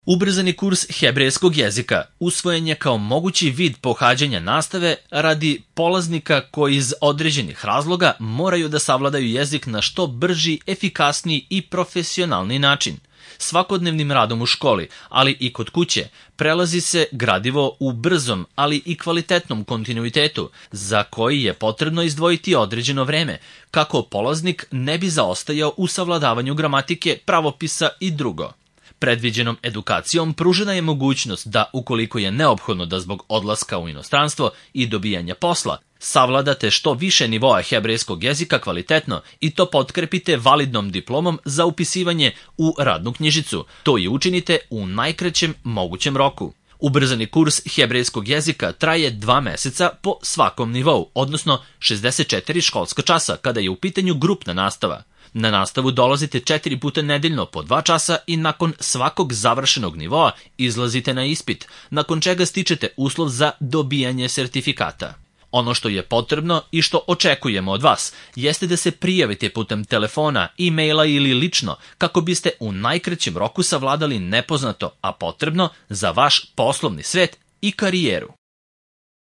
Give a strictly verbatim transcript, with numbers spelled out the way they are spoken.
Ubrzani kurs hebrejskog jezika usvojen je kao mogući vid pohađanja nastave radi polaznika koji iz određenih razloga moraju da savladaju jezik na što brži, efikasniji i profesionalni način. Svakodnevnim radom u školi, ali i kod kuće, prelazi se gradivo u brzom, ali i kvalitetnom kontinuitetu, za koji je potrebno izdvojiti određeno vreme, kako polaznik ne bi zaostajao u savladavanju gramatike, pravopisa i drugo. Predviđenom edukacijom pružena je mogućnost da, ukoliko je neophodno da zbog odlaska u inostranstvo i dobijanja posla, savladate što više nivoa hebrejskog jezika kvalitetno i to potkrepite validnom diplomom za upisivanje u radnu knjižicu. To i učinite u najkraćem mogućem roku. Ubrzani kurs hebrejskog jezika traje dva meseca po svakom nivou, odnosno šezdeset četiri školska časa kada je u pitanju grupna nastava. Na nastavu dolazite četiri puta nedeljno po dva časa i nakon svakog završenog nivoa izlazite na ispit, nakon čega stičete uslov za dobijanje sertifikata. Ono što je potrebno i što očekujemo od vas jeste da se prijavite putem telefona, e-maila ili lično kako biste u najkraćem roku savladali nepoznato, a potrebno za vaš poslovni svet i karijeru.